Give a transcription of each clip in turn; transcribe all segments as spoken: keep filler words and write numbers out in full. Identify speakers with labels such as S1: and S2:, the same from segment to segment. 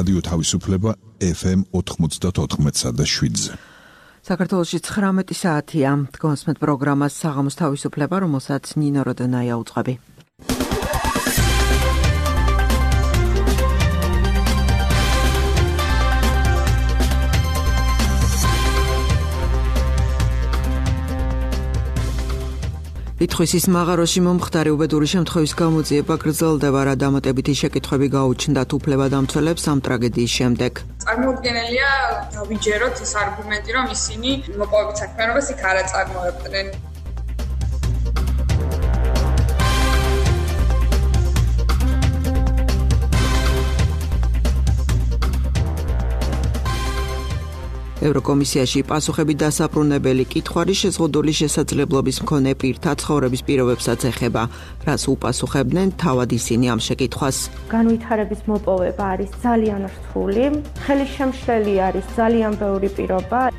S1: რადიო თავისუფლება ეფ ემ ოთხმოცდაოთხ და შვიდზე.
S2: საქართველოში ცხრამეტი საათია. გონსმეთ პროგრამას საღამოს თავისუფლება, რომელსაც ნინო როდონაია უწყები. ითხვისის მაღაროში მომხდარი უბედური შემთხვევის გამოძიება გრძელდება, რა დამატებითი შეკითხვები გაუჩნდათ უფლებადამცველებს ამ ტრაგედიის შემდეგ.
S3: წარმოუდგენელია დავიჯეროთ ეს არგუმენტი, რომ ისინი მოპოვებით საქმიანობას იქ არ აწარმოებდნენ. ევროკომისიაში პასუხები დასაბრუნებელი კითხვარი შეზღუდული შესაძლებლობის მქონე პირთა ცხოვრების პირობებსაც ეხება, რაც უპასუხებდნენ თავად ისინი ამ შეკითხვას.
S4: განვითარების მოპოვება არის ძალიან რთული, ხელისშემშლელი არის ძალიან ბევრი პირობა.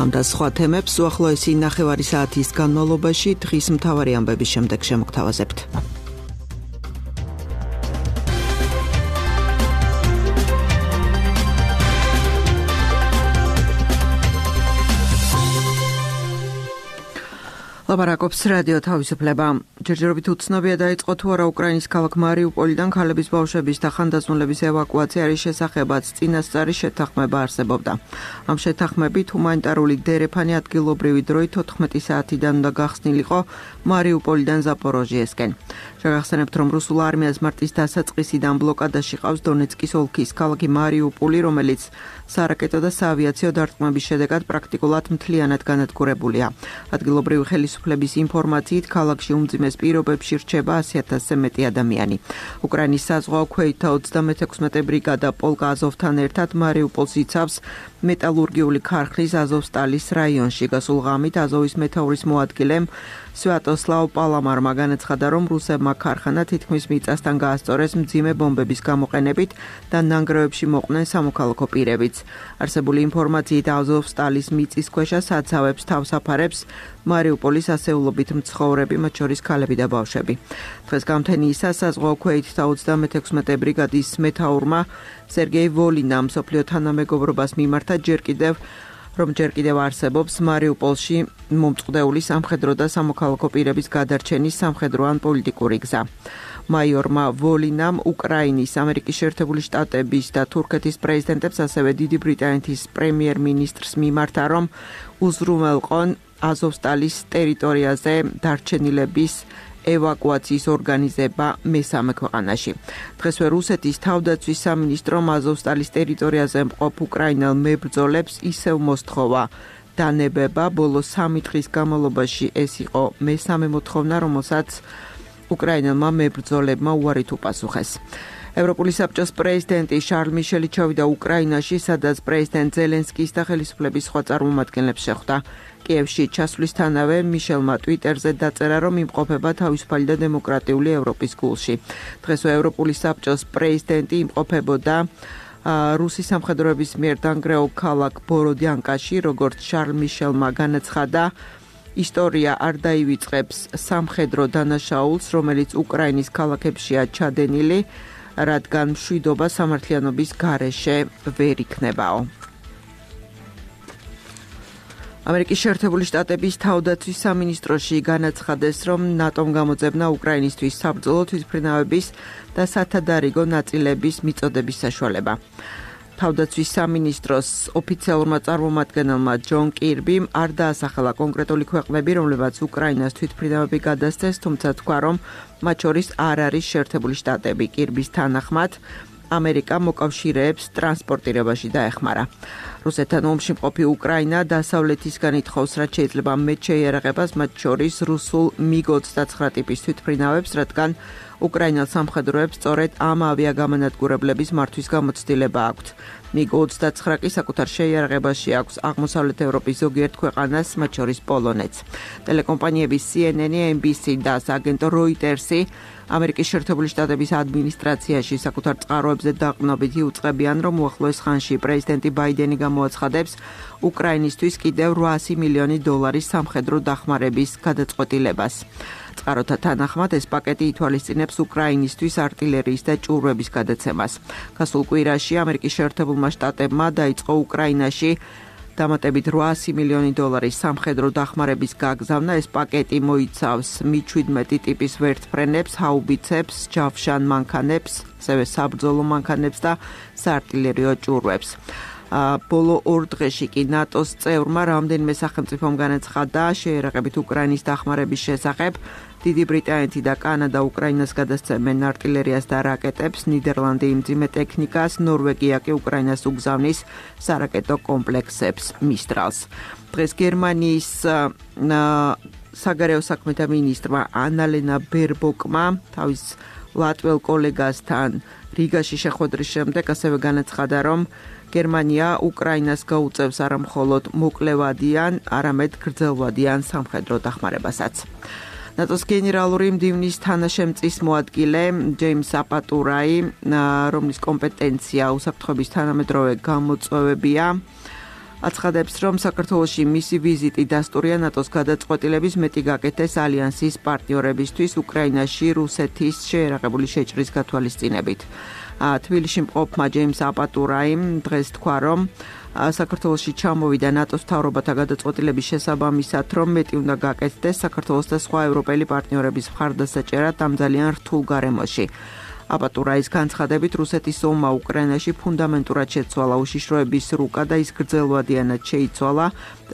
S4: ამ და სხვა თემებს უახლოესი ნახევარი საათის განმავლობაში დღის მთავარი ამბების შემდეგ შემოგთავაზებთ. ლაპარაკობს რადიო თავისუფლება. ჯერჯერობით უცნობია დაიწყო თუ არა უკრაინის ქალაქ მარიუპოლიდან ქალების ბავშვების და ხანდაზმულების ევაკუაცია არის შესახებაც წინასწარი შეთანხმება არსებობდა. ამ შეთანხმებით ჰუმანიტარული დერეფანი ადგილობრივი დროით ოთხმეტი საათიდან უნდა გახსნილიყო მარიუპოლიდან ზაპოროჟიესკენ. შეგახსენებთ, რომ რუსულ არმიას მარტის დასაწყისიდან ბლოკადაში ყავს დონეცკის ოლქის ქალაქი მარიუპოლი, რომელიც სარაკეტო და საავიაციო დარტყმების შედეგად პრაქტიკულად მთლიანად განადგურებულია. ადგილობრივი ხელისუფლების ინფორმაციით ქალაქში უმძიმეს პირობებში რჩება ასი ათასზე მეტი ადამიანი. უკრაინის საზღვაო ქვეითთა ოცდამეთექვსმეტე ბრიგადა პოლკა აზოვთან ერთად მარიუპოლს იცავს მეტალურგიული ქარხნის აზოვსტალის რაიონში. გასულ ღამით აზოვის მეთაურის მოადგილემ სვიატოსლავ პალამარმა განაცხადა, რომ რუსებმა ქარხანა თითქმის მიწასთან გაასწორეს მძიმე ბომბების გამოყენებით და ნანგრევებში მოყვნენ სამოქალაქო პირებიც. არსებული ინფორმაციით აზოვსტალის მიწისქვეშა საცავებს თავს აფარებს მარიუპოლის ასეულობით მცხოვრები, მათ შორის ქალები და ბავშვები. დღეს გამთენიისა საზღვაო ქვეითთა ოცდამეთექვსმეტე ბრიგადის მეთაურმა სერგეი ვოლინამ მსოფლიო თანამეგობრობას მიმართა ჯერ კიდევ რომ ჯერ კიდევ არსებობს მარიუპოლში მომწყდეული სამხედრო და სამოქალაქო პირების გადარჩენის სამხედრო ან პოლიტიკური გზა. მაიორმა ვოლინამ უკრაინის, ამერიკის შეერთებული შტატების და თურქეთის პრეზიდენტებს, ასევე დიდი ბრიტანეთის პრემიერ-მინისტრს მიმართა, რომ უზრუნველყონ აზოვსტალის ტერიტორიაზე დარჩენილების ევაკუაციის ორგანიზება მესამე ქვეყანაში. დღესვე რუსეთის თავდაცვის სამინისტრომ აზოვსტალის ტერიტორიაზე მყოფ უკრაინელ მებრძოლებს ისევ მოსთხოვა დანებება. ბოლო სამი დღის განმავლობაში ეს იყო მესამე მოთხოვნა, რომელსაც უკრაინელმა მებრძოლებმა უარით უპასუხეს. ევროპული საბჭოს პრეზიდენტი შარლ მიშელი ჩავიდა უკრაინაში, სადაც პრეზიდენტ ზელენსკის და ხელისუფლების სხვა წარმომადგენლებს შეხვდა. კიევში ჩასვლისთანავე მიშელმა ტვიტერზე დაწერა, რომ იმყოფება თავისუფალი და დემოკრატიული ევროპის გულში. დღესვე ევროპული საბჭოს პრეზიდენტი იმყოფებოდა რუსის სამხედროების მიერ დანგრეულ ქალაქ ბოროდიანკაში, როგორც შარლ მიშელმა განაცხადა, ისტორია არ დაივიწყებს სამხედრო დანაშაულს, რომელიც უკრაინის ქალაქებშია ჩადენილი, რადგან მშვიდობა სამართლიანობის გარეშე ვერ იქნებაო. ამერიკის შეერთებული შტატების თავდაცვის სამინისტროში განაცხადეს, რომ ნატომ გამოძებნა უკრაინისთვის საბრძოლო თვითმფრინავების და სათადარიგო ნაწილების მიწოდების საშუალება. თავდაცვის სამინისტროს ოფიციალურმა წარმომადგენელმა ჯონ კირბიმ არ დაასახელა კონკრეტული ქვეყნები, რომლებაც უკრაინას თვითმფრინავები გადასცეს, თუმცა თქვა, რომ მათ შორის არ არის შეერთებული შტატები. კირბის თანახმად ამერიკა მოკავშირეებს ტრანსპორტირებაში დაეხმარა. რუსეთთან ომში მყოფი უკრაინა დასავლეთისგან ითხოვს, რაც შეიძლება მეტ შეიარაღებას, მათ შორის რუსულ მიგ ოცდაცხრა ტიპის თვითმფრინავებს, რადგან უკრაინელ სამხედროებს სწორედ ამ ავიაგამანადგურებლების მართვის გამოცდილება აქვთ. მიგ ოცდაცხრა კი საკუთარ შეიარაღებაში აქვს აღმოსავლეთ ევროპის ზოგიერთ ქვეყანას, მათ შორის პოლონეთს. ტელეკომპანიების სი ენ ენ, ემ ბი სი და აგენტო როიტერსი
S2: ამერიკის შეერთებული შტატების ადმინისტრაციაში საკუთარ წყაროებზე დაყრდნობით იუწყებიან, რომ უახლოეს ხანში პრეზიდენტი ბაიდენი გამოაცხადებს უკრაინისთვის კიდევ რვაასი მილიონი დოლარის სამხედრო დახმარების გადაწყვეტილებას. წყაროთა თანახმად ეს პაკეტი ითვალისწინებს უკრაინისთვის არტილერიის და ჭურვების გადაცემას. გასულ კვირაში ამერიკის შეერთებულმა შტატებმა დაიწყო უკრაინაში დამატებით რვაასი მილიონი დოლარის სამხედრო დახმარების გაგზავნა. ეს პაკეტი მოიცავს მი შვიდმეტი ტიპის ვერტმფრენებს, ჰაუბიცებს, ჯავშან მანქანებს, ასევე საბრძოლო მანქანებს და საარტილერიო ჭურვებს. ბოლო ორ დღეში კი ნატოს წევრმა რამდენიმე სახელმწიფომ განაცხადა შეერაყებით უკრაინის დახმარების შესახებ. დიდი ბრიტანეთი და კანადა უკრაინას გადასცემენ არტილერიას და რაკეტებს, ნიდერლანდი იმძიმე ტექნიკას, ნორვეგია კი უკრაინას უგზავნის სარაკეტო კომპლექსებს მისტრალს. დღეს გერმანიის საგარეო საქმეთა მინისტრმა ანალენა ბერბოკმა თავის ლატვიელ კოლეგასთან რიგაში შეხვედრის შემდეგ ასევე განაცხადა, რომ გერმანია უკრაინას გაუწევს არა მხოლოდ მოკლევადიან, არამედ გრძელვადიან სამხედრო დახმარებასაც. ნატოს გენერალური მდივნის თანაშემწის მოადგილე ჯეიმს აპატურაი, რომლის კომპეტენცია უსაფრთხოების თანამედროვე გამოწვევებია, აცხადებს, რომ საქართველოში მისი ვიზიტი დასტურია ნატოს გადაწყვეტილების მეტი გაკეთდეს ალიანსის პარტნიორებისთვის უკრაინაში რუსეთის შეერაყებული შეჭრის გათვალისწინებით. თბილისში მყოფმა ჯეიმს აპატურაიმ დღეს თქვა, რომ საქართველოში ჩამოვიდა ნატოს მთავრობათა გადაწყვეტილების შესაბამისად, რომ მეტი უნდა გაკეთდეს საქართველოს და სხვა ევროპელი პარტნიორების მხარდასაჭერად ამ ძალიან რთულ გარემოში. აპატურაის განცხადებით, რუსეთის ომმა უკრაინაში ფუნდამენტურად შეცვალა უშიშროების რუკა და ის გრძელვადიანად შეიცვალა.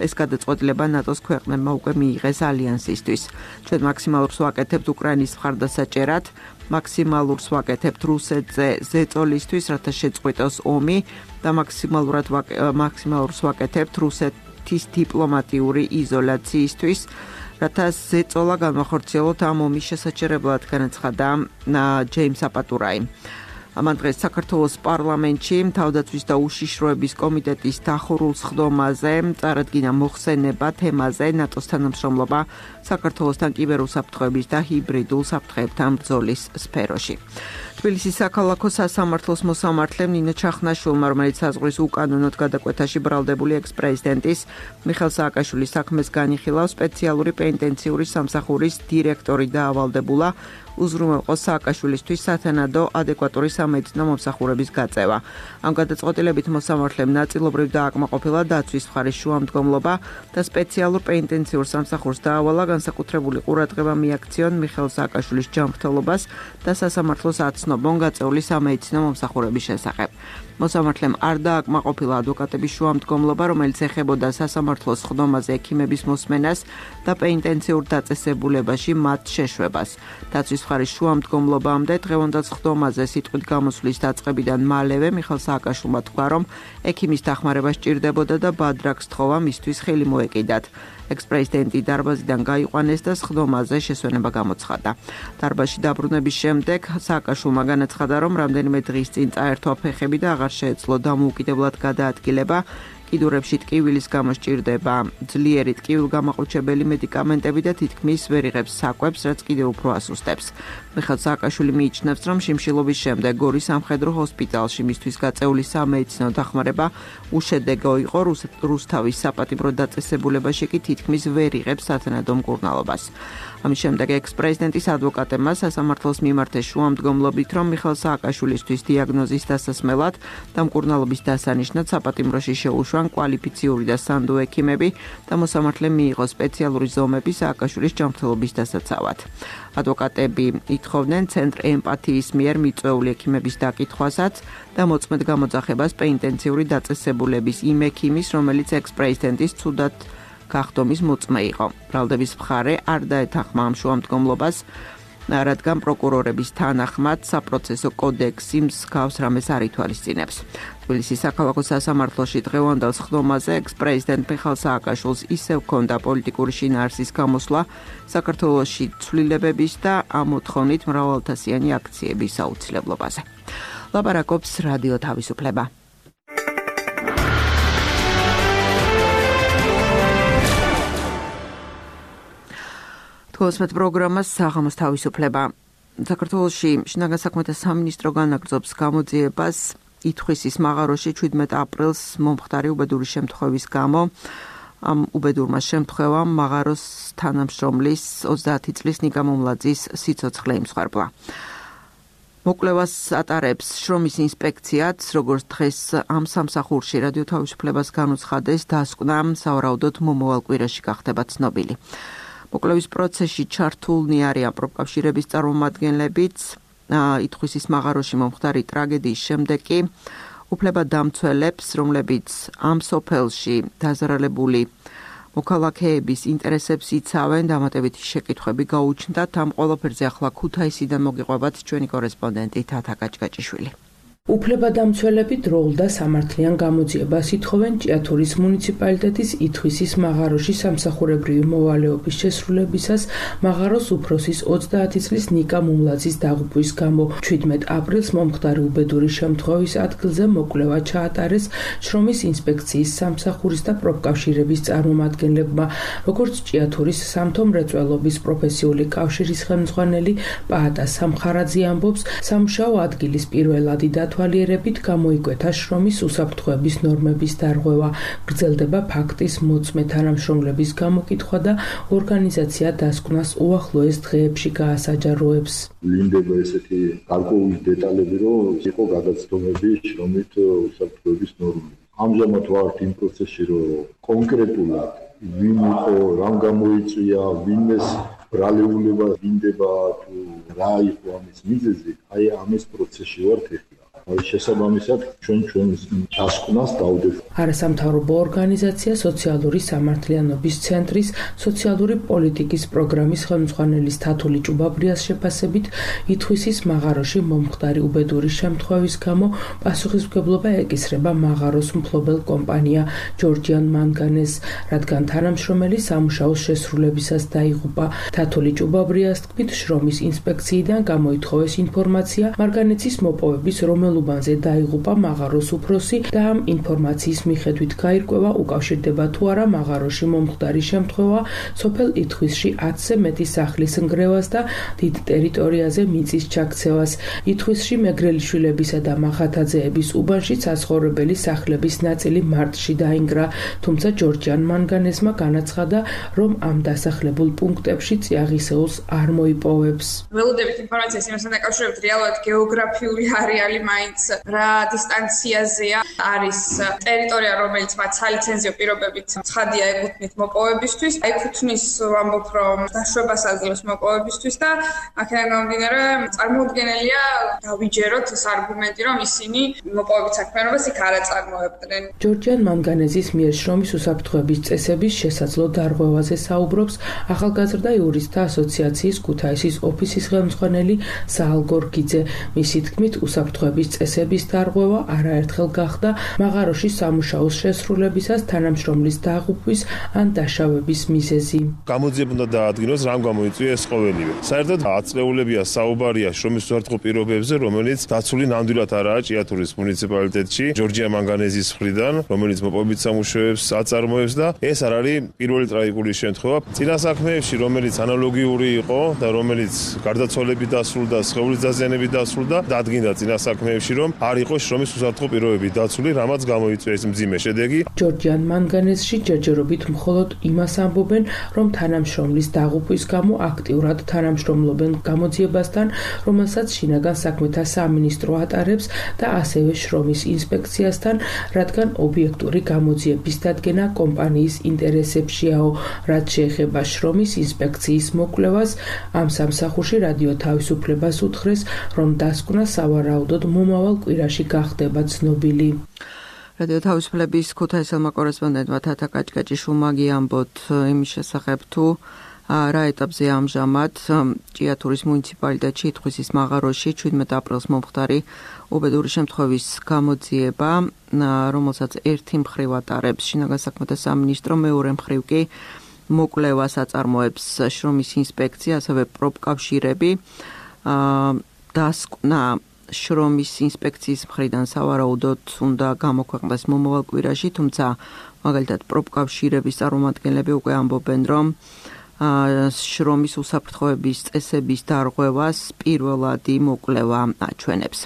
S2: ეს გადაწყვეტილება ნატოს ქვეყნებმა უკვე მიიღეს ალიანსისთვის. ჩვენ მაქსიმალურს ვაკეთებთ უკრაინის მხარდასაჭერად, მაქსიმალურს ვაკეთებთ რუსეთზე ზეწოლისთვის, რათა შეწყვიტოს ომი და მაქსიმალურად მაქსიმალურს ვაკეთებთ რუსეთის დიპლომატიური იზოლაციისთვის, რათა ზეწოლა განვახორციელოთ ამ ომის შესაჩერებლად, განაცხადა ჯეიმს აპატურაი. ამან დღეს საქართველოს პარლამენტში თავდაცვის და უშიშროების კომიტეტის დახურულ სხდომაზე წარადგინა მოხსენება თემაზე ნატოს თანამშრომლობა საქართველოსთან კიბერუსაფრთხოების და ჰიბრიდულ საფრთხეებთან ბრძოლის სფეროში. თბილისის საქალაქო სასამართლოს მოსამართლემ ნინო ჩახნაშვილმა, რომელიც საზღვრის უკანონოდ გადაკვეთაში ბრალდებული ექს-პრეზიდენტის მიხეილ სააკაშვილის საქმეს განიხილავს, სპეციალური პენიტენციური სამსახურის დირექტორი დაავალდებულა უზრუნველყო სააკაშვილისთვის სათანადო ადეკვატური სამედიცინო მომსახურების გაწევა. ამ გადაწყვეტილებით მოსამართლემ ნაწილობრივ დააკმაყოფილა დაცვის მხარის შუამდგომლობა და სპეციალურ პენიტენციურ სამსახურს დაავალა განსაკუთრებული ყურადღება მიაქციონ მიხეილ სააკაშვილის ჯანმრთელობას და სასამართლოს აცნობონ გაწეული სამედიცინო მომსახურების შესახებ. მოსამართლემ არ დააკმაყოფილა ადვოკატების შუამდგომლობა, რომელიც ეხებოდა სასამართლოს სხდომაზე ექიმების მოსმენას და პენიტენციურ დაწესებულებაში მათ შეშვებას. დაცვის მხარის შუამდგომლობამდე დღევანდელ სხდომაზე სიტყვით გამოსვლის დაწყებიდან მალევე მიხეილ სააკაშვილმა თქვა, რომ ექიმის დახმარება სჭირდებოდა და ბადრაკს თხოვა მისთვის ხელი მოეკიდათ. ექს-პრეზიდენტი დარბაზიდან გაიყვანეს და სხდომაზე შესვენება გამოცხადა. დარბაზში დაბრუნების შემდეგ სააკაშვილმა განაცხადა, რომ რამდენიმე დღის წინ წაერთვა ფეხები და აღარ შეეძლო დამოუკიდებლად გადაადგილება. კიდურებში ტკივილის გამო სჭირდება ძლიერი ტკივილგამაყუჩებელი მედიკამენტები და თითქმის ვერ იღებს საკვებს, რაც კიდევ უფრო ასუსტებს. მიხეილ სააკაშვილი მიიჩნევს, რომ შიმშილობის შემდეგ გორის სამხედრო ჰოსპიტალში მისთვის გაწეული სამედიცინო დახმარება უშედეგო იყო, რუსთავის საპატიმრო დაწესებულებაში კი თითქმის ვერ იღებს სათანადო მკურნალობას. ამის შემდეგ ექს-პრეზიდენტის ადვოკატებმა სასამართლოს მიმართეს შუამდგომლობით, რომ მიხეილ სააკაშვილისთვის დიაგნოზის დასასმელად და მკურნალობის დასანიშნად საპატიმროში შეუშვან კვალიფიციური და სანდო ექიმები და მოსამართლემ მიიღო სპეციალური ზომები სააკაშვილის ჯანმრთელობის დასაცავად. ადვოკატები ითხოვდნენ ცენტრ ემპათიის მიერ მიწვეული ექიმების დაკითხვასაც და მოწმედ გამოძახებას პენიტენციური დაწესებულების იმ ექიმის, რომელიც ექს-პრეზიდენტის ცუდად გახდომის მოწმე იყო. ბრალდების მხარე არ დაეთანხმა ამ შუამდგომლობას, რადგან პროკურორების თანახმად საპროცესო კოდექსი მსგავს რამეს არ ითვალისწინებს. თბილისის საქალაქო სასამართლოში დღევანდელ სხდომაზე ექს-პრეზიდენტ მიხეილ სააკაშვილს ისევ ჰქონდა პოლიტიკური შინაარსის გამოსვლა საქართველოში ცვლილებების და ამ მოთხოვნით მრავალთასიანი აქციების აუცილებლობაზე. ლაპარაკობს რადიო თავისუფლება. თვალსმეთ პროგრამას საღამოს თავისუფლება. საქართველოში შინაგან საქმეთა სამინისტრო განაგრძობს გამოძიებას ითხვისის მაღაროში შვიდმეტ აპრილს მომხდარი უბედური შემთხვევის გამო. Am უბედურმა შემთხვევამ მაღაროს თანამშრომლის ოცდაათი წლის ნიკა მუმლაძის სიცოცხლე იმსხვერპლა. მოკვლევას ატარებს შრომის ინსპექციაც, როგორც დღეს ამ სამსახურში რადიო თავისუფლებას განუცხადეს, დასკვნა სავარაუდოდ მომავალ კვირაში გახდება ცნობილი. მოკვლევის პროცესში ჩართულნი არიან პროფკავშირების წარმომადგენლებიც, ითხვისის მაღაროში მომხდარი ტრაგედიის შემდეგ კი უფლებადამცველებს, რომლებიც ამ სოფელში დაზარალებული მოქალაქეების ინტერესებს იცავენ, დამატებითი შეკითხვები გაუჩნდათ. ამ ყველაფერზე ახლა ქუთაისიდან მოგიყვებათ ჩვენი კორესპონდენტი თათა გაჭგაჭიშვილი.
S5: უფლებადამცველები დროულ და სამართლიან გამოძიებას ითხოვენ ჭიათურის მუნიციპალიტეტის ითხვისის მაღაროში სამსახურებრივი მოვალეობის შესრულებისას მაღაროს უფროსის ოცდაათი წლის ნიკა მუმლაძის დაღუპვის გამო. შვიდმეტ აპრილს მომხდარი უბედური შემთხვევის ადგილზე მოკვლევა ჩაატარეს შრომის ინსპექციის სამსახურის და პროფკავშირების წარმომადგენლებმა, როგორც ჭიათურის სამთო მრეწველობის პროფესიული კავშირის ხელმძღვანელი პაატა სამხარაძე ამბობს, სამუშაო ადგილის პირველადი დათვალიერებით გამოიკვეთა შრომის უსაფრთხოების ნორმების დარღვევა, გრძელდება ფაქტის მოწმე თანამშრომლების გამოკითხვა და ორგანიზაცია დასკვნას უახლოეს დღეებში გაასაჯაროებს.
S6: ვლინდება ესეთი გარკვეული დეტალები, რომ იყო გადაცდომები შრომით უსაფრთხოების ნორმები. ამჟამად ვართ იმ პროცესში, რომ კონკრეტულად ვინ იყო, რამ გამოიწვია, ვინმეს ბრალეულება ვლინდება თუ რა იყო ამის მიზეზი, აი ამის პროცესში ვართ ეხლა. შესაბამისად ჩვენ ჩვენს დასკვნას დავდებ.
S5: არასამთავრობო ორგანიზაცია სოციალური სამართლიანობის ცენტრის სოციალური პოლიტიკის პროგრამის ხელმძღვანელის თათული ჭუბაბრიას შეფასებით, ითხვისის მაღაროში მომხდარი უბედური შემთხვევის გამო პასუხისმგებლობა ეკისრება მაღაროს მფლობელ კომპანია ჯორჯიან მანგანეს, რადგან თანამშრომელი სამუშაოს შესრულებისას დაიღუპა. თათული ჭუბაბრიას თქმით, შრომის ინსპექციიდან გამოითხოვეს ინფორმაცია მარგანეცის მოპოვების რომელ უბანზე დაიღუპა მაღაროს უფროსი და ამ ინფორმაციის მიხედვით გაირკვევა უკავშირდება თუ არა მაღაროში მომხდარი შემთხვევა სოფელ ითხვისში ათზე მეტი სახლის ნგრევას და დიდ ტერიტორიაზე მიწის ჩაქცევას. ითხვისში მეგრელიშვილებისა და მახათაძეების უბანში საცხოვრებელი სახლების ნაწილი მარტში დაინგრა, თუმცა ჯორჯიან მანგანესმა განაცხადა, რომ ამ დასახლებულ პუნქტებში წიაღისეულს არ მოიპოვებს.
S7: ველოდებით ინფორმაციას იმასთან დაკავშირებით რეალურად გეოგრაფიული არეალი მაინც რა დისტანციაზეა არის ტერიტორია, რომელიც მათ სალიცენზიო პირობებით ცხადია ეკუთვნით მოპოვებისთვის. ეკუთვნის ვამბობ, რომ დაშვებას აძლევს მოპოვებისთვის და აქედან გამომდინარე წარმოუდგენელია დავიჯეროთ ეს არგუმენტი, რომ ისინი მოპოვებით საქმიანობას იქ არ აწარმოებდნენ.
S5: ჯორჯიან მანგანეზის მიერ შრომის უსაფრთხოების წესების შესაძლო დარღვევაზე საუბრობს ახალგაზრდა იურისტთა ასოციაციის ქუთაისის ოფისის ხელმძღვანელი საალ გორგიძე. მისი თქმით, უსაფრთხოების წესების დარღვევა არაერთხელ გახდა მაღაროში სამუშაოს შესრულებისას თანამშრომლის დაღუპვის ან დაშავების მიზეზი.
S8: გამოძიება უნდა დაადგინოს, რამ გამოიწვია ეს ყოველივე. საერთოდ აწლეულებია საუბარია შრომის უსაფრთხო პირობებზე, რომელიც დაცული ნამდვილად არაა ჭიათურის მუნიციპალიტეტში ჯორჯია მანგანეზის მხრიდან, რომელიც მოპოვებით სამუშაოებს აწარმოებს და ეს არ არის პირველი ტრაგიკული შემთხვევა. წინა საქმეებში, რომელიც ანალოგიური იყო და რომელიც გარდაცვალებით დასრულდა, სხეულის დაზიანებით დასრულდა, დადგინდა წინა საქმეებში, რომ არ იყო შრომის უსაფრთხო პირობები დაცული, რამაც გამოიწვია ეს მძიმე შედეგი.
S5: ჯორჯიან მანგანესში ჯერჯერობით მხოლოდ იმას ამბობენ, რომ თანამშრომლის დაღუპვის გამო აქტიურად თანამშრომლობენ გამოძიებასთან, რომელსაც შინაგან საქმეთა სამინისტრო ატარებს და ასევე შრომის ინსპექციასთან, რადგან ობიექტური გამოძიების დადგენა კომპანიის ინტერესებშიაო. რაც შეეხება შრომის ინსპექციის მოკვლევას, ამ სამსახურში რადიო თავისუფლებას უთხრეს, რომ დასკვნა სავარაუდოდ მომავალ კვირაში გახდება ცნობილი.
S2: რადიო თავისუფლების ქუთაისელმა კორესპონდენტმა თათა გაჭგაჭიშვილმა ამბოთ იმის შესახებ, თუ რა ეტაპზე ამჟამად ჭიათურის მუნიციპალიტეტში ითხვისის მაღაროში შვიდმეტ აპრილს მომხდარი უბედური შემთხვევის გამოძიება, რომელსაც ერთი მხრივ ატარებს შინაგან საქმეთა სამინისტრო, მეორე მხრივ კი მოკვლევას აწარმოებს შრომის ინსპექცია, ასევე პროფკავშირები. დასკვნა შრომის ინსპექციის მხრიდან სავარაუდოდ უნდა გამოქვეყნდეს მომავალ კვირაში, თუმცა მაგალითად პროფკავშირების წარმომადგენლები უკვე ამბობენ, რომ შრომის უსაფრთხოების წესების დარღვევას პირველად იმოკლევა აჩვენებს.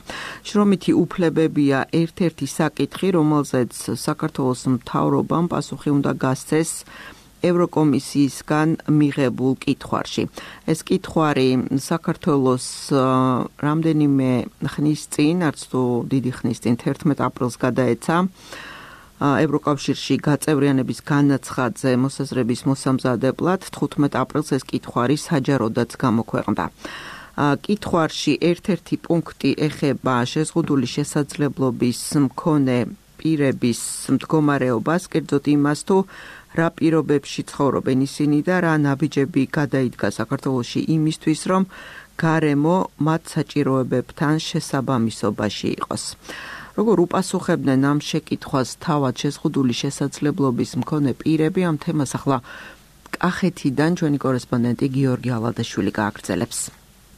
S2: შრომითი უფლებებია ერთ-ერთი საკითხი, რომელზეც საქართველოს მთავრობამ პასუხი უნდა გასცეს ევროკომისიისგან მიღებულ კითხვარში. ეს კითხვარი საქართველოს რამდენიმე ხნის წინ, არც თუ დიდი ხნის წინ, თერთმეტ აპრილს გადაეცა ევროკავშირში გაწევრიანების განაცხადზე მოსაზრების მოსამზადებლად. თხუთმეტ აპრილს ეს კითხვარი საჯაროდაც გამოქვეყნდა. კითხვარში ერთ-ერთი პუნქტი ეხება შეზღუდული შესაძლებლობის მქონე პირების მდგომარეობას, კერძოდ იმას, თუ რა პირობებში ცხოვრობენ ისინი და რა ნაბიჯები გადაიდგა საქართველოში იმისთვის, რომ გარემო მათ საჭიროებებთან შესაბამისობაში იყოს. როგორ უპასუხებდნენ ამ შეკითხვას თავად შეზღუდული შესაძლებლობის მქონე პირები, ამ თემას ახლა კახეთიდან ჩვენი კორესპონდენტი გიორგი ალადაშვილი გააგრძელებს.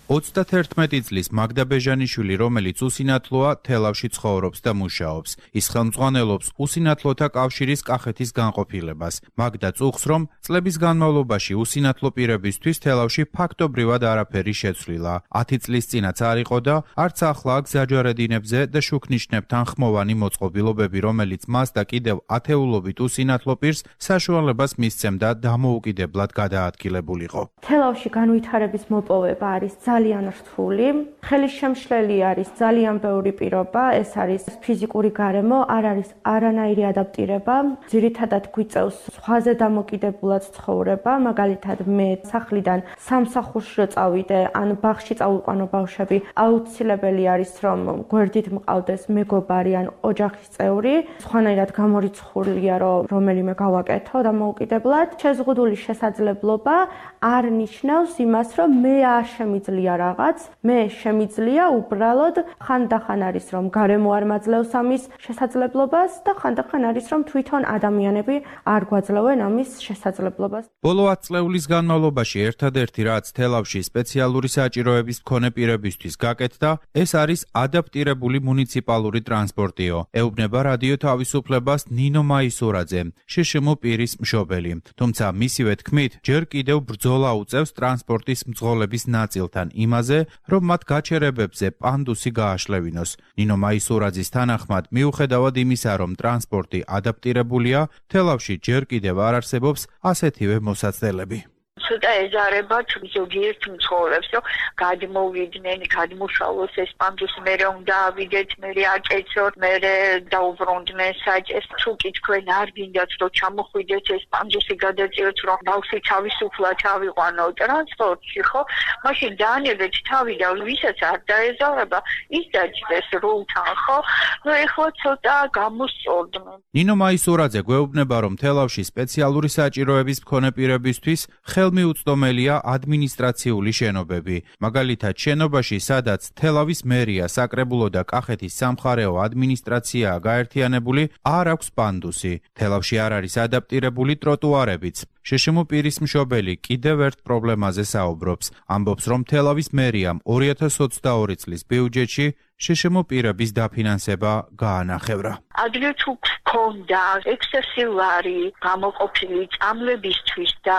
S9: ოცდათერთმეტი წლის მაგდა ბეჟანიშვილი, რომელიც უსინათლოა, თელავში ცხოვრობს და მუშაობს. ის ხელმძღვანელობს უსინათლოთა კავშირის კახეთის განყოფილებას. მაგდა წუხს, რომ წლების განმავლობაში უსინათლო პირებისთვის თელავში ფაქტობრივად არაფერი შეცვლილა. ათი წლის წინაც არ იყო და არც ახლა გზაჯვარედინებზე და შუქნიშნებთან ხმოვანი მოწყობილობები, რომელიც მას და კიდევ ათეულობით უსინათლო პირს საშუალებას მისცემდა დამოუკიდებლად გადაადგილებულიყო.
S10: თელავში განვითარების მოპოვება არის ძალიან რთული, ხელისშემშლელი არის ძალიან ბევრი პირობა, ეს არის ფიზიკური გარემო, არ არის არანაირი ადაპტირება, ძირითადად გვიწევს სხვაზე დამოკიდებულად ცხოვრება, მაგალითად მე სახლიდან სამსახურში რო წავიდე, ან ბაღში წავიყვანო ბავშვები, აუცილებელი არის რომ გვერდით მყავდეს მეგობარი ან ოჯახის წევრი, სხვანაირად გამორიცხულია რომ რომელიმე გავაკეთო დამოუკიდებლად. შეზღუდული შესაძლებლობა არ ნიშნავს იმას, რომ მე არ შემიძლია რაღაც, მე შემიძლია უბრალოდ ხანდახან არის რომ გარემო არ მაძლევს ამის შესაძლებლობას და ხანდახან არის რომ თვითონ ადამიანები არ გვაძლევენ ამის შესაძლებლობას.
S9: ბოლო ათ წლეულის განმავლობაში ერთადერთი რაც თელავში სპეციალური საჭიროების მქონე პირებისთვის გაკეთდა, ეს არის ადაპტირებული მუნიციპალური ტრანსპორტიო. ეუბნება რადიო თავისუფლებას ნინო მაისურაძე, შშმ პირის მშობელი. თუმცა მისივე თქმით, ჯერ კიდევ ბრძოლა უწევს ტრანსპორტის მძღოლების ნაწილთან იმაზე, რომ მათ გაჩერებებზე პანდუსი გააშლევინოს. ნინო მაისურაძის თანახმად, მიუხედავად იმისა, რომ ტრანსპორტი ადაპტირებულია, თელავში ჯერ კიდევ არ არსებობს ასეთივე მოსაცდელები.
S11: ცოტა ეζარება ზოგიერთ მცხოვრებს, რომ გადმოვიდნენ, გადმოშალოს ეს პანდუსი, მერე უნდა ავიდეთ, მერე აკეცოთ, მერე დაუბრუნდნენ საჭეს. თუ კითხვენ არ გინდათ, რომ ჩამოხვიდეთ ეს პანდუსი გადაწიოთ, რომ ბავშვი თავისუფლად ავიყვანო ტრანსპორტში, ხო? მაშინ დაანებეთ თავი და ვისაც არ დაეზარება, ის დაჭდეს როლთან, ხო? ნუ ეხლა ცოტა გამოსწორდნენ.
S9: ნინო მაისურაძე გვეუბნება, რომ თელავში სპეციალური საჭიროების მქონე პირებისთვის ხელმიუწვდომელია ადმინისტრაციული შენობები. მაგალითად, შენობაში, სადაც თელავის მერია, საკრებულო და კახეთის სამხარეო ადმინისტრაციაა გაერთიანებული, არ აქვს პანდუსი. თელავში არ არის ადაპტირებული ტროტუარებიც. შშმ პირის მშობელი კიდევ ერთ პრობლემაზე საუბრობს. ამბობს, რომ თელავის მერიამ ორი ათას ოცდაორი წლის ბიუჯეტში შშმ პირების დაფინანსება გაანახევრა.
S11: ადრე თუ გქონდა ექსესილარი გამოყოფილი წამლებისთვის და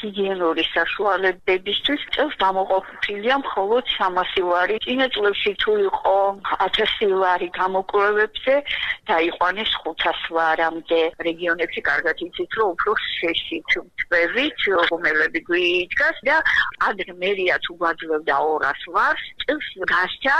S11: ჰიგიენური საშუალებებისთვის, წელს გამოყოფილია მხოლოდ სამასი ლარი. წინა წლებში თუ იყო ათასი ლარი გამოკვლევებზე, დაიყვანეს ხუთას ლარამდე. რეგიონებში კარგად იცით, რომ უფრო შეშით თვევით, რომელები გვიდგას და ადრე მერია თუ გვაძლევდა ორას ლარს, წელს გასცა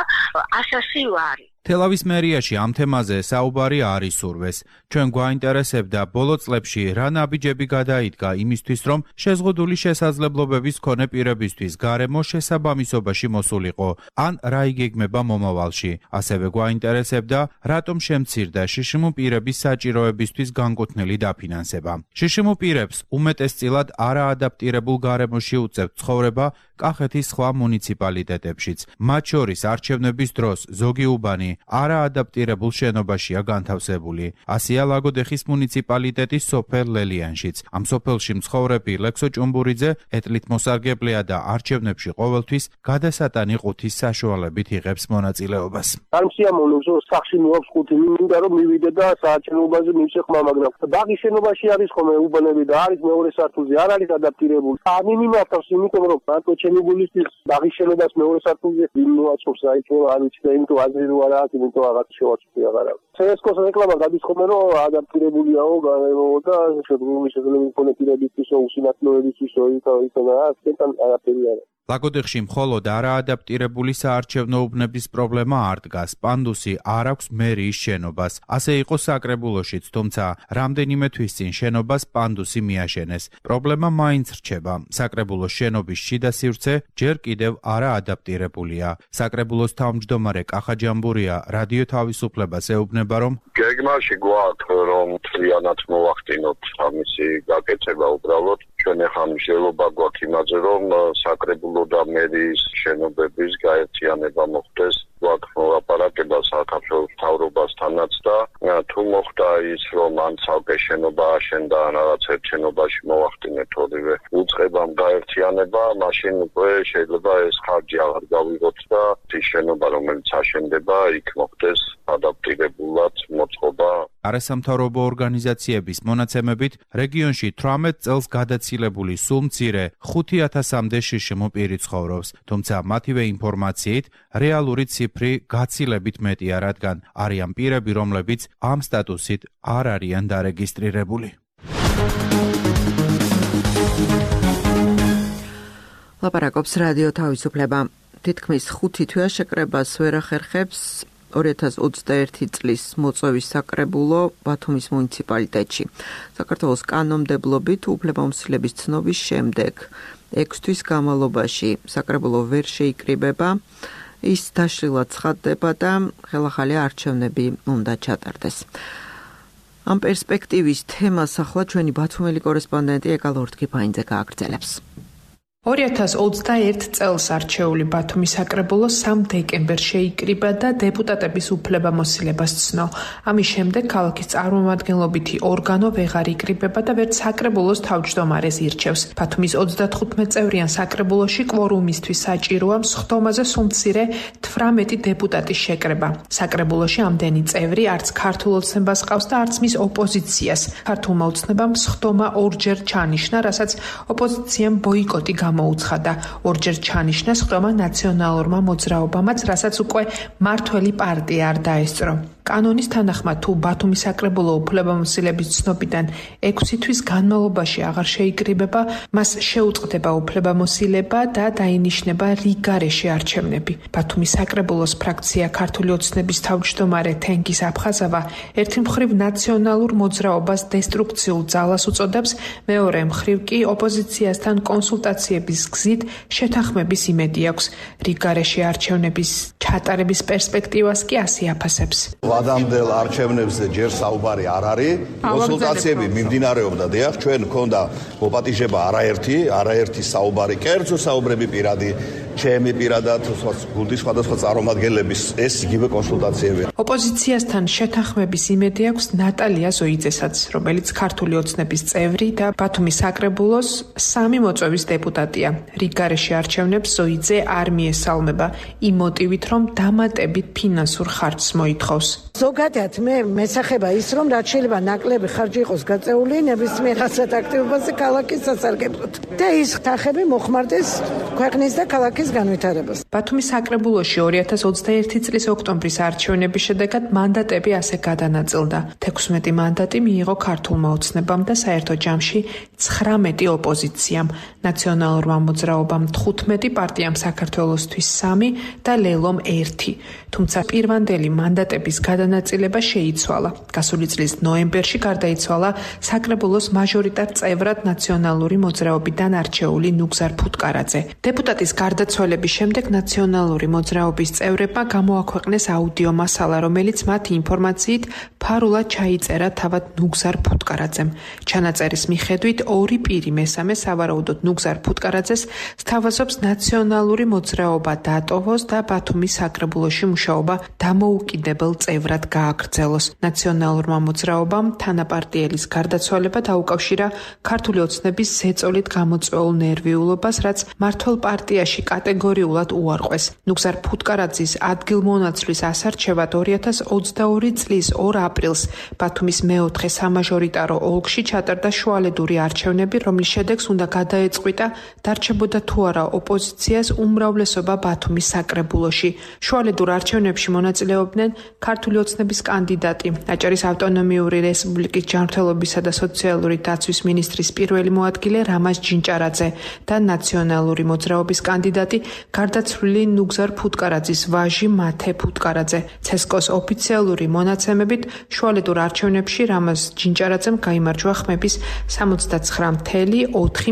S11: ასასი ლარი.
S9: თელავის მერიაში ამ თემაზე საუბარი არ ისურვეს. ჩვენ გვაინტერესებდა ბოლო წლებში რა ნაბიჯები გადაიდგა იმისთვის, რომ შეზღუდული შესაძლებლობების მქონე პირებისთვის გარემო შესაბამისობაში მოსულიყო, ან რა იგეგმება მომავალში. ასევე გვაინტერესებდა, რატომ შემცირდა შშმ პირების საჭიროებისთვის განკუთვნილი დაფინანსება. შშმ პირებს უმეტესწილად არაადაპტირებულ გარემოში უწევთ ცხოვრება კახეთის სხვა მუნიციპალიტეტებშიც. მათ შორის არჩევნების დროს ზოგი უბანი არაადაპტირებულ შენობაშია განთავსებული. ასეა ლაგოდეხის მუნიციპალიტეტის სოფელ ლელიანშიც. ამ სოფელში მცხოვრები ლექსო ჭუმბურიძე ეტლით მოსარგებლეა და არჩევნებში ყოველთვის გადასატანი ყუთის საშუალებით იღებს მონაწილეობას.
S12: არ მსიამოვნებს რომ სახში მოაქვს ყუთი, მინდა რომ მივიდე და საარჩევნოებაზე მივშეხმა, მაგრამ ბაღის შენობაში არის ხოლმე უბანები და არის მეორე სართულზე, არ არის ადაპტირებული. არ მიმართავს, იმიტომ რომ მარტო ჩემი გულისთვის ბაღის შენობას მეორე სართულზე მიმოაწყობს, აი თუ არ ვიცი და იმიტომ აზრი რო არ აქვს, იმიტომ რაღაც შევაწყდი აღარა. ცესკოს რეკლამა გადის ხოლმე რომ ადაპტირებულიაო და შეგვიძლია შეიძლება მქონე პირებისთვის უსინათლოებისთვის ითხოვა ასეთთან არაფერია.
S9: ლაგოდეხში მხოლოდ არაადაპტირებული საარჩევნო უბნების პრობლემა არ დგას. პანდუსი არ აქვს მერიის შენობას. ასე იყო საკრებულოშიც, თუმცა რამდენიმე თვის წინ შენობას პანდუსი მიაშენეს. პრობლემა მაინც რჩება. საკრებულოს შენობის შიდა სივრცე ჯერ კიდევ არაადაპტირებულია. საკრებულოს თავმჯდომარე კახა ჯამბურია რადიო თავისუფლებას ეუბნება, რომ
S13: გეგმაში გვაქვს რომ მთლიანად მოვახდინოთ ამისი გაკეთება უბრალოდ. ჩვენ ახლა მსჯელობა გვაქვს იმაზე, რომ საკრებულო და მერიის შენობების გაერთიანება მოხდეს. გვაქვს მოლაპარაკება საქართველოს მთავრობასთანაც და თუ მოხდა ის, რომ ან ცალკე შენობა აშენდა, ან რაღაც ერთ შენობაში მოვახდინეთ ორივე უწყებამ გაერთიანება, მაშინ უკვე შეიძლება ეს ხარჯი აღარ გავიღოთ და ის შენობა, რომელიც აშენდება, იქ მოხდეს ადაპტირებულად მოწყობა.
S9: არასამთავრობო ორგანიზაციების მონაცემებით რეგიონში თვრამეტ წელს გადაცილებული სულ მცირე ხუთი ათასამდე შიშიმო პირი ცხოვრობს, თუმცა მათივე ინფორმაციით რეალური ციფრი გაცილებით მეტია, რადგან არიან პირები, რომლებიც ამ სტატუსით არ არიან დარეგისტრირებული.
S2: ლაპარაკობს რადიო თავისუფლება. თითქმის ხუთი თვეა შეკრებას ვერ ახერხებს ორი ათას ოცდაერთი წლის მოწვევის საკრებულო ბათუმის მუნიციპალიტეტში. საქართველოს კანონმდებლობით უფლებამოსილების ცნობის შემდეგ ექვს თვის განმავლობაში საკრებულო ვერ შეიკრიბება, ის დაშლილად ცხადდება და ხელახალი არჩევნები უნდა ჩატარდეს. ამ პერსპექტივის თემას ახლა ჩვენი ბათუმელი კორესპონდენტი ეკალ ორთქიფაინძე გააგრძელებს.
S5: ორი ათას ოცდაერთი წელს არჩეული ბათუმის საკრებულო სამ დეკემბერს შეიკრიბა და დეპუტატების უფლებამოსილებას ცნო. ამის შემდეგ ქალაქის წარმომადგენლობითი ორგანო ვეღარ იკრიბება და ვერც საკრებულოს თავმჯდომარეს ირჩევს. ბათუმის ოცდათხუთმეტ წევრიან საკრებულოში კვორუმისთვის საჭიროა სხდომაზე სულ მცირე თვრამეტი დეპუტატის შეკრება. საკრებულოში ამდენი წევრი არც ქართულ ოცნებას ყავს და არც მის ოპოზიციას. ქართულმა ოცნებამ სხდომა ორჯერ ჩანიშნა, რასაც ოპოზიციამ ბოიკოტი მოუცხადა. ორჯერ ჩანიშნა სხდომა ნაციონალურმა მოძრაობამაც, რასაც უკვე მართველი პარტია არ დაესწრო. კანონის თანახმად, თუ ბათუმის საკრებულო უფლებამოსილების ცნობიდან ექვსი თვის განმავლობაში აღარ შეიკრიბება, მას შეუწყდება უფლებამოსილება და დაინიშნება რიგგარეშე არჩევნები. ბათუმის საკრებულოს ფრაქცია ქართული ოცნების თავმჯდომარე თენგიზ აფხაზავა ერთი მხრივ ნაციონალურ მოძრაობას დესტრუქციულ ძალას უწოდებს, მეორე მხრივ კი ოპოზიციასთან კონსულტაციების გზით შეთანხმების იმედი აქვს. რიგგარეშე არჩევნების ჩატარების პერსპექტივას კი ასე აფასებს.
S14: ვადამდელ არჩევნებზე ჯერ საუბარი არ არის, კონსულტაციები მიმდინარეობდა, დიახ, ჩვენ მქონდა მოპატიჟება არაერთი, არაერთი საუბარი, კერძო საუბრები პირადი, ჩემი პირადად, გუნდის სხვადასხვა წარმომადგენლების ეს იგივე კონსულტაციები.
S5: ოპოზიციასთან შეთანხმების იმედი აქვს ნატალია ზოიძესაც, რომელიც ქართული ოცნების წევრი და ბათუმის საკრებულოს სამი მოწვევის დეპუტატია. რიგგარეშე არჩევნებს ზოიძე არ მიესალმება, იმ მოტივით, რომ დამატებით ფინანსურ ხარჯს მოითხოვს.
S15: ზოგადად მე მესახება ის, რომ რაც შეიძლება ნაკლები ხარჯი იყოს გაწეული ნებისმიერ ასეთ აქტივობაზე ქალაქის სასარგებლოდ და ის ხთახები მოხმარდეს ქვეყნის და ქალაქის განვითარებას.
S5: ბათუმის საკრებულოში ორი ათას ოცდაერთი წლის ოქტომბრის არჩევნების შედეგად მანდატები ასე გადანაწილდა. თექვსმეტი მანდატი მიიღო ქართულმა ოცნებამ და საერთო ჯამში ცხრამეტი ოპოზიციამ, ნაციონალურმა მოძრაობამ თხუთმეტი, პარტიამ საქართველოსთვის სამი და ლელომ ერთი. თუმცა პირვანდელი მანდატების გადანაწილება შეიცვალა. გასული წლის ნოემბერში გარდაიცვალა საკრებულოს მაჟორიტარ წევრად ნაციონალური მოძრაობიდან არჩეული ნუგზარ ფუტკარაძე. დეპუტატის გარდაცვალების შემდეგ ნაციონალური მოძრაობის წევრებმა გამოაქვეყნეს აუდიო მასალა, რომელიც მათი ინფორმაციით ფარულად ჩაიწერა თავად ნუგზარ ფუტკარაძემ. ჩანაწერის მიხედვით ორი პირი მესამე სავარაუდოდ ნუგზარ ფუტკარაძეს სთავაზობს ნაციონალური მოძრაობა დატოვოს და ბათუმის საკრებულოში მუშაობა დამოუკიდებელ წევრად გააგრძელოს. ნაციონალურმა მოძრაობამ თანაპარტიელის გარდაცვალება დაუკავშირა ქართული ოცნების ზეწოლით გამოწვეულ ნერვიულობას, რაც მართლ პარტიაში კატეგორიულად უარყვეს. ნუგზარ ფუტკარაძის ადგილმონაცვლის ასარჩევად ორი ათას ოცდაორი წლის ორ აპრილს ბათუმის მეოთხე სამაჟორიტარო ოლქში ჩატარდა შუალედური არჩევნები, რომლის შედეგს უნდა გადაეწყვიტა დარჩებოდა თუ არა ოპოზიციას უმრავლესობა ბათუმის საკრებულოში. შუალედურ არჩევნებში მონაწილეობდნენ ქართული ოცნების კანდიდატი, აჭარის ავტონომიური რესპუბლიკის ჯანმრთელობისა და სოციალური დაცვის მინისტრის პირველი მოადგილე რამაზ ჯინჭარაძე და ნაციონალური მოძრაობის კანდიდატი გარდაცვლილი ნუგზარ ფუტკარაძის ვაჟი მათე ფუტკარაძე. ცესკოს ოფიციალური მონაცემებით შუალედურ არჩევნებში რამაზ ჯინჭარაძემ გაიმარჯვა ხმების სამოცდაცხრა целых ოთხი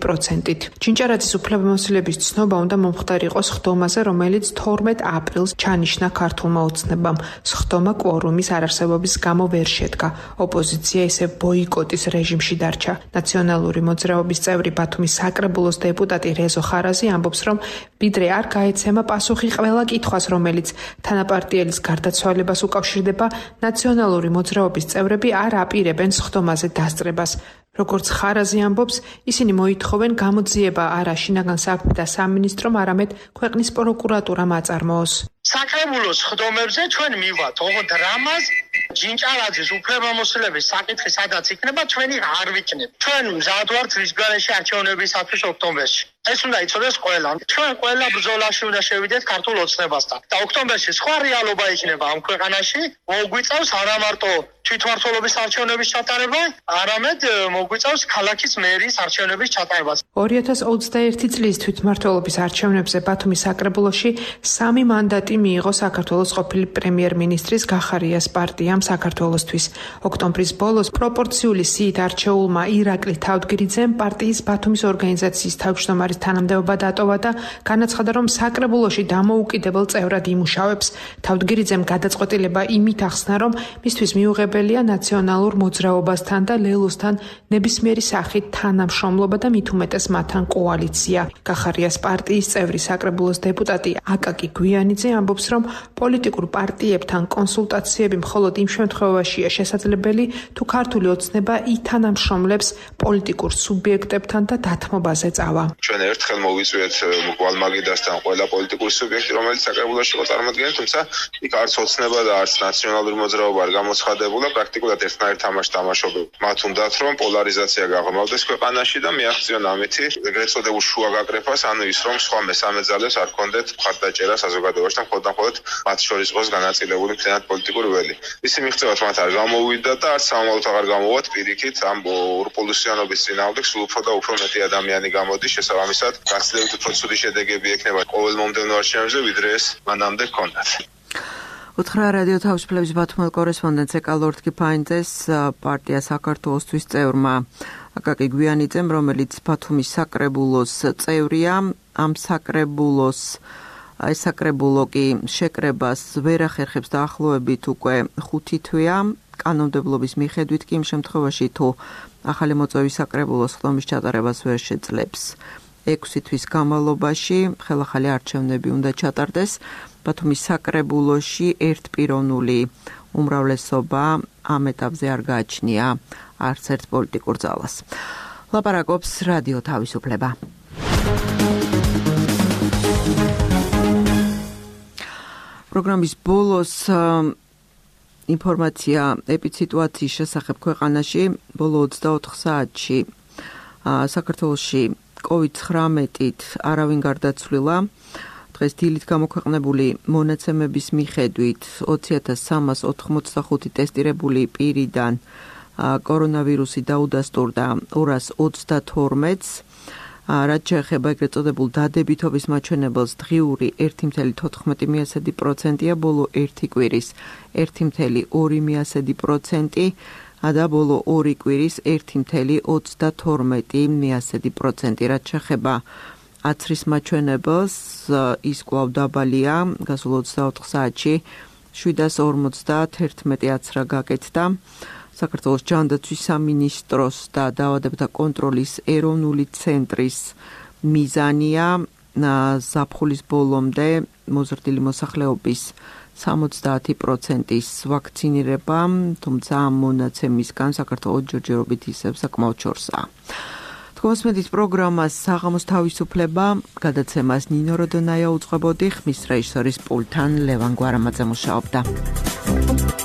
S5: პროცენტით. ჯინჭარაძის უფლებამოსილების ცნობა უნდა მომხდარ იყოს ხდომაზე, რომელიც თორმეტ აპრილს ჩანიშნა ქართულმა ოცნებამ. სხდომა კვორუმის არარსებობის გამო ვერ შედგა. ოპოზიცია ისევ ბოიკოტის რეჟიმში დარჩა. ნაციონალური მოძრაობის წევრი ბათუმის საკრებულოს დეპუტატი რეზო ხარაზი ამბობს, რომ ვიდრე არ გაეცემა პასუხი ყველა კითხვას, რომელიც თანაპარტიელის გარდაცვალებას უკავშირდება, ნაციონალური მოძრაობის წევრები არ აპირებენ სხდომაზე დასწრებას. როგორც ხარაზი ამბობს, ისინი მოითხოვენ გამოძიება არა შინაგან საქმეთა სამინისტრომ, არამედ ქვეყნის პროკურატურამ აწარმოოს.
S16: საკრებულოს ხდომებზე ჩვენ მივვათ, ოღონდ რამაზ ჯინჭარაძის უფლებამოსილების საკითხი სადაც იქნება, ჩვენი არ ვიქნებ. ჩვენ მზად ვართ რისგარეში არჩევნებისათვის ოქტომბერში. ეს უნდა იცოდეს ყველამ. ჩვენ ყველა ბრძოლაში უნდა შევიდეთ ქართულ ოცნებასთან. და ოქტომბერში სხვა რეალობა იქნება ამ ქვეყანაში, მოგვიწევს არა მარტო თვითმმართველობის არჩევნების ჩატარება, არამედ მოგვიწევს ქალაქის მერის არჩევნების ჩატარებას.
S5: ორი ათას ოცდაერთი წლის თვითმმართველობის არჩევნებზე ბათუმის საკრებულოში სამი მანდატი მიიღო საქართველოს ყოფილი პრემიერ-მინისტრის გახარიას პარტიამ საქართველოსთვის. ოქტომბრის ბოლოს პროპორციული სიით არჩეულმა ირაკლი თავდგირიძემ პარტიის ბათუმის ორგანიზაციის თავმჯდომარის თანამდებობა დატოვა და განაცხადა, რომ საკრებულოში დამოუკიდებელ წევრად იმუშავებს. თავდგირიძემ გადაწყვეტილება იმით ახსნა, რომ მისთვის მიუღებელია ნაციონალურ მოძრაობასთან და ლელოსთან ნებისმიერი სახით თანამშრომლობა და მით უმეტეს მათთან კოალიცია. გახარიას პარტიის წევრი საკრებულოს დეპუტატი აკაკი გვიანიძე ამბობს, რომ პოლიტიკურ პარტიებთან კონსულტაციები მხოლოდ იმ შემთხვევაშია შესაძლებელი, თუ ქართული ოცნება ითანამშრომლებს პოლიტიკურ სუბიექტებთან და დათმობაზე წავა.
S17: ჩვენ ერთხელ მოვიწვიეთ გვალმაგიდასთან ყველა პოლიტიკური სუბიექტი, რომელიც საკრებულოში იყო წარმოადგენელი, თუმცა იქ არც ოცნება და არც ნაციონალური მოძრაობა არ გამოცხადებულა, პრაქტიკულად ერთნაირ თამაშს თამაშობდნენ. მათ უნდათ, რომ პოლარიზაცია გაღრმავდეს ქვეყანაში და მიაღწიონ ამითი ეგრეთ წოდებულ შუაგაკრეფას, ანუ ის, რომ სხვა მესამე ძალებს არ კონდეთ მხარდაჭერა საზოგადოებაში და მხოლოდ და მხოლოდ მათ შორის იყოს განაწილებული მთლიანად პოლიტიკური ველი. ისი მიღწევათ მათ არ გამოვიდა და არც სამომავლოდ აღარ გამოვათ პირიქით ამ ორპოლუსიანობის წინააღმდეგ, სულ უფრო და უფრო მეტი ადამიანი გამოდის, შესაბამისად გაცილებით უფრო ცუდი შედეგები ექნება ყოველ მომდევნო არჩევნებზე, ვიდრე ეს მანამდე ჰქონდათ.
S2: უთხრა რადიო თავისუფლების ბათუმელ კორესპონდენტს ეკალორდ კიფაინძეს პარტია საქართველოსთვის წევრმა აკაკი გვიანიძემ, რომელიც ბათუმის საკრებულოს წევრია. ამ საკრებულოს ეს საკრებულო კი შეკრებას ვერ ახერხებს დაახლოებით უკვე ხუთი თვეა. კანონმდებლობის მიხედვით კი იმ შემთხვევაში, თუ ახალი მოწვევის საკრებულოს ხდომის ჩატარებას ვერ შეძლებს, ექვსი თვის განმავლობაში ხელახალი არჩევნები უნდა ჩატარდეს. ბათუმის საკრებულოში ერთპიროვნული უმრავლესობა ამ ეტაპზე არ გააჩნია არც ერთ პოლიტიკურ ძალას. ლაპარაკობს რადიო თავისუფლება. პროგრამის ბოლოს ინფორმაცია ეპიდსიტუაციის შესახებ ქვეყანაში. ბოლო ოცდაოთხ საათში საქართველოში კოვიდ ცხრამეტით არავინ გარდაცვლილა. დღეს დილით გამოქვეყნებული მონაცემების მიხედვით ოცი ათას სამას ოთხმოცდახუთი ტესტირებული პირიდან კორონავირუსი დაუდასტურდა ორას ოცდათორმეტს. რაც შეეხება ეგრეთ წოდებულ დადებითობის მაჩვენებელს, დღიური ერთი целых თოთხმეტი პროცენტია, ბოლო ერთი კვირის ერთი целых ორი პროცენტი და ბოლო ორი კვირის ერთი целых ოცდათორმეტი პროცენტი. რაც შეეხება აცრის მაჩვენებელს, ის კვლავ დაბალია, გასულ ოცდაოთხ საათში შვიდას ორმოცდაათი აცრა გაკეთდა. საქართველოს ჯანდაცვის სამინისტროს და დაავადებათა კონტროლის ეროვნული ცენტრის მიზანია ზაფხულის ბოლომდე მოზრდილი მოსახლეობის სამოცდაათი პროცენტის ვაქცინირება, თუმცა ამ მონაცემისგან საქართველოს ჯერჯერობით ისევ საკმაოდ შორსაა. თქმასმედით პროგრამას საღამოს თავისუფლება გადაცემას ნინო როდონაია უძღვებოდი, ხმის რეჟისორის პულტთან ლევან გვარამაძე მუშაობდა.